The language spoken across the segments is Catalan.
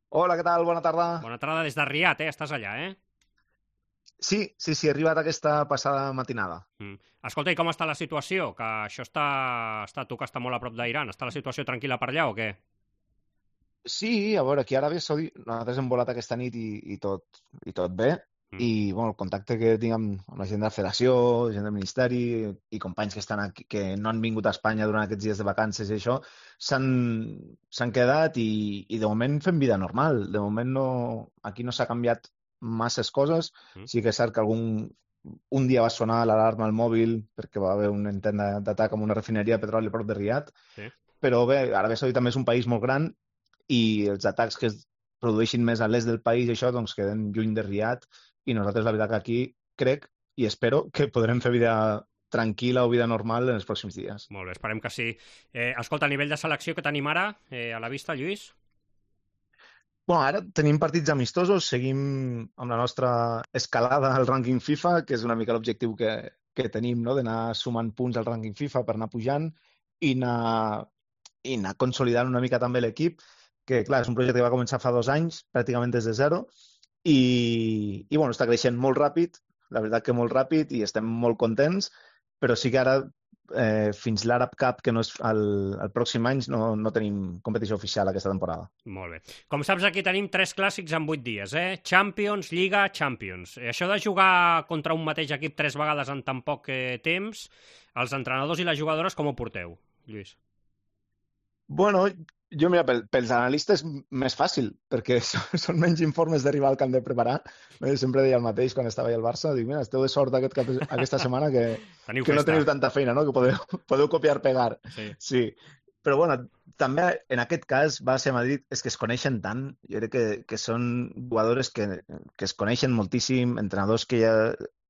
Hola, què tal? Bona tarda. Bona tarda des de Riad, Estàs allà, Sí, he arribat aquesta passada matinada. Escolta, i com està la situació? Que això tu que està molt a prop d'Iran. Està la situació tranquil·la per allà o què? Sí, a veure, aquí a Aràbia Saudita nosaltres hem volat aquesta nit i tot bé. Mm. I bueno, el contacte que tinc amb la gent de la federació, gent del ministeri i companys que estan aquí, que no han vingut a Espanya durant aquests dies de vacances i això, s'han s'han quedat i de moment fem vida normal. De moment no, aquí no s'ha canviat masses coses. Mm. Sí que és cert que un dia va sonar l'alarma al mòbil perquè va haver un intent d'atac amb una refineria de petroli a prop de Riad, Sí. però bé, Aràbia Saudita també és un país molt gran i els atacs que es produeixin més a l'est del país, això, doncs queden lluny de Riad i nosaltres la veritat que aquí crec i espero que podrem fer vida tranquil·la o vida normal en els pròxims dies. Molt bé, esperem que sí. Escolta, a nivell de selecció que tenim ara, a la vista, Lluís? Bueno, ara tenim partits amistosos, seguim amb la nostra escalada al rànquing FIFA, que és una mica l'objectiu que tenim, no? D'anar sumant punts al rànquing FIFA per anar pujant i anar consolidant una mica també l'equip, que clar, és un projecte que va començar fa 2 anys, pràcticament des de zero, i bueno, està creixent molt ràpid, la veritat que molt ràpid, i estem molt contents, però sí que ara, fins l'Arab Cup, que no és el pròxim any, no tenim competició oficial aquesta temporada. Molt bé. Com saps, aquí tenim 3 clàssics en 8 dies, Champions, Lliga, Champions. Això de jugar contra un mateix equip 3 vegades en tan poc temps, els entrenadors i les jugadores com ho porteu, Lluís? Bueno, jo mira, pels analistes més fàcil, perquè són menys informes de rival que han de preparar. Sempre deia el mateix quan estava allà al Barça, dic, mira, esteu de sort aquesta setmana Teniu que no festa. teniu tanta feina, no? Que podeu copiar-pegar. Sí. Sí, però bueno, també en aquest cas, Barça i Madrid és que es coneixen tant, jo crec que són jugadores que es coneixen moltíssim, entrenadors que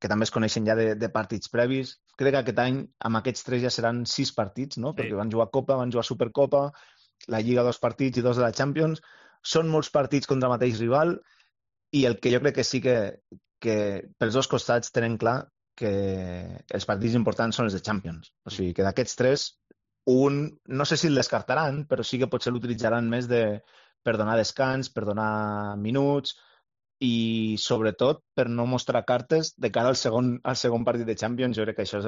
també es coneixen ja de partits previs. Crec que aquest any amb aquests tres ja seran 6 partits, no? Sí. Perquè van jugar Copa, van jugar Supercopa, la Lliga 2 partits i 2 de la Champions. Són molts partits contra el mateix rival i el que jo crec que sí que pels dos costats tenen clar que els partits importants són els de Champions. O sigui, que d'aquests tres, un, no sé si el descartaran, però sí que potser l'utilitzaran més per donar descans, per donar minuts, i sobretot per no mostrar cartes de cara al segon partit de Champions. Jo crec que això és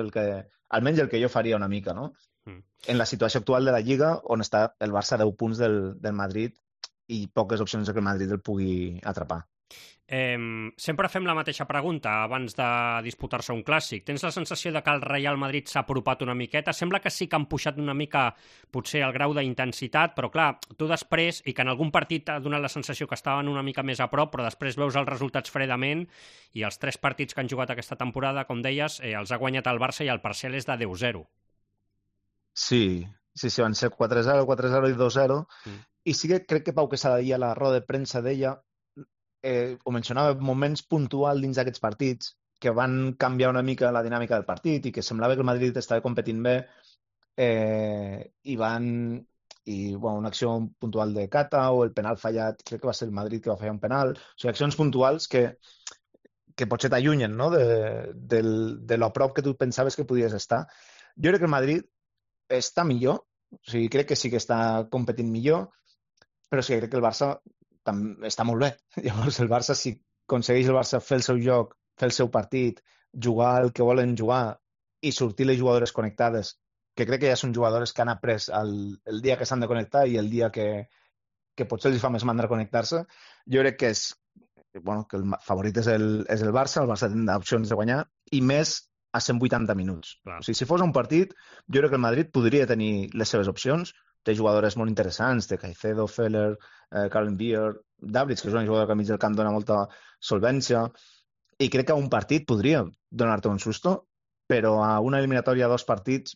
almenys el que jo faria una mica, no? Mm. En la situació actual de la Lliga, on està el Barça a 10 punts del Madrid i poques opcions de que el Madrid el pugui atrapar. Sempre fem la mateixa pregunta abans de disputar-se un clàssic. Tens la sensació de que el Real Madrid s'ha apropat una miqueta? Sembla que sí que han pujat una mica potser el grau d'intensitat, però clar, tu després, i que en algun partit t'ha donat la sensació que estaven una mica més a prop, però després veus els resultats fredament i els 3 partits que han jugat aquesta temporada, com deies, els ha guanyat el Barça i el parcial és de 10-0. Sí, van ser 4-0, 4-0 i 2-0. Mm. I sí que crec que Pau Quesada a la roda de premsa deia, ho mencionava, moments puntuals dins d'aquests partits que van canviar una mica la dinàmica del partit i que semblava que el Madrid estava competint bé, i bueno, una acció puntual de Cata o el penal fallat, crec que va ser el Madrid que va fallar un penal. O sigui, accions puntuals que potser t'allunyen, no? De lo prop que tu pensaves que podies estar. Jo crec que el Madrid està millor, o sigui, crec que sí que està competint millor, però sí que crec que el Barça està molt bé. Llavors, el Barça, si aconsegueix el Barça fer el seu joc, fer el seu partit, jugar el que volen jugar i sortir les jugadores connectades, que crec que ja són jugadores que han après el dia que s'han de connectar i el dia que potser els fa més mandra connectar-se, jo crec que el favorit és el Barça, el Barça tindrà opcions de guanyar, i més a 180 minuts. Clar. O sigui, si fos un partit, jo crec que el Madrid podria tenir les seves opcions, té jugadores molt interessants, de Caicedo, Feller, Carlen Beer, Davids, que és una jugadora que al mig del camp dona molta solvència, i crec que a un partit podria donar-te un susto, però a una eliminatòria a 2 partits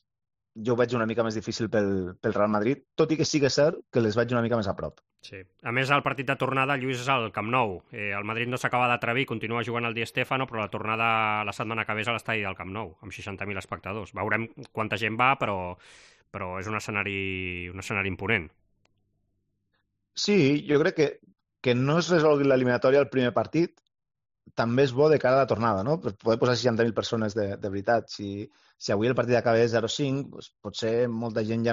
jo ho veig una mica més difícil pel Real Madrid, tot i que sí que és cert que les veig una mica més a prop. Sí. A més, el partit de tornada, Lluís, és al Camp Nou. El Madrid no s'acaba d'atrevir, continua jugant al Di Stéfano, però la tornada la setmana que ve és a l'estadi del Camp Nou, amb 60.000 espectadors. Veurem quanta gent va, però és un escenari imponent. Sí, jo crec que no es resolgui l'eliminatòria al primer partit, també és bo de cara a la tornada, no? Per poder posar 60.000 persones de veritat. Si avui el partit acabés 0-5, doncs potser molta gent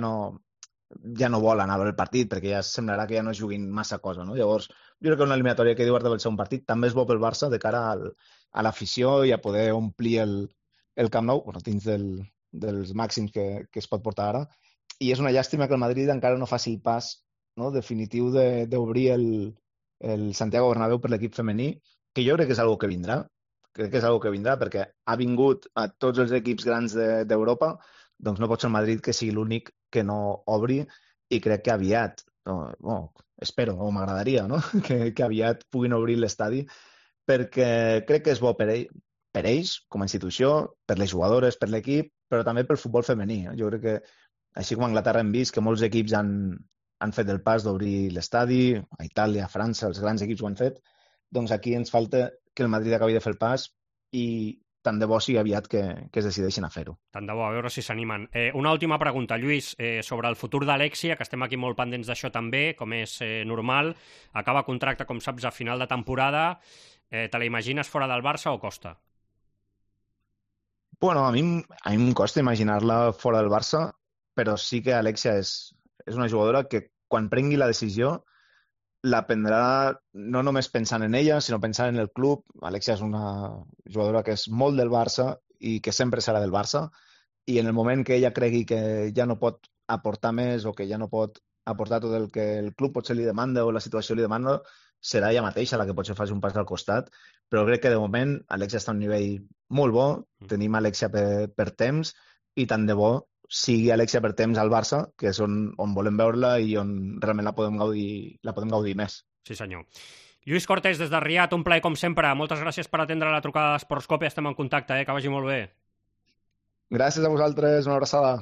ja no vol anar a veure el partit perquè ja semblarà que ja no juguin massa cosa, no? Llavors, jo crec que una eliminatòria que diu Arda pel segon partit també és bo pel Barça de cara a l'afició i a poder omplir el Camp Nou, bueno, dins dels màxims que es pot portar ara. I és una llàstima que el Madrid encara no faci el pas, no, definitiu d'obrir el Santiago Bernabéu per l'equip femení, que jo crec que és algo que vindrà. Crec que és algo que vindrà perquè ha vingut a tots els equips grans d'Europa, doncs no pot ser el Madrid que sigui l'únic que no obri i crec que aviat, no, espero, o m'agradaria, no? que aviat puguin obrir l'estadi perquè crec que és bo per ells com a institució, per les jugadores, per l'equip, però també pel futbol femení. Jo crec que, així com a Anglaterra hem vist que molts equips han fet el pas d'obrir l'estadi, a Itàlia, a França, els grans equips ho han fet, doncs aquí ens falta que el Madrid acabi de fer el pas i tant de bo sigui aviat que es decideixin a fer-ho. Tant de bo, a veure si s'animen. Una última pregunta, Lluís, sobre el futur d'Alexia, que estem aquí molt pendents d'això també, com és normal. Acaba contracte, com saps, a final de temporada. Te la imagines fora del Barça o costa? Bueno, a mi em costa imaginar-la fora del Barça, però sí que Alexia és una jugadora que quan prengui la decisió la prendrà no només pensant en ella, sinó pensant en el club. Alexia és una jugadora que és molt del Barça i que sempre serà del Barça, i en el moment que ella cregui que ja no pot aportar més o que ja no pot aportar tot el que el club potser li demanda o la situació li demanda, serà ella mateixa la que potser faci un pas al costat, però crec que de moment Alexia està a un nivell molt bo, tenim Alexia per temps, i tant de bo sigui Alexia per temps al Barça, que és on volem veure-la i on realment la podem gaudir més. Sí, senyor. Lluís Cortés, des de Riad, un plaer com sempre. Moltes gràcies per atendre la trucada d'Esportscopia. Estem en contacte, que vagi molt bé. Gràcies a vosaltres, una abraçada.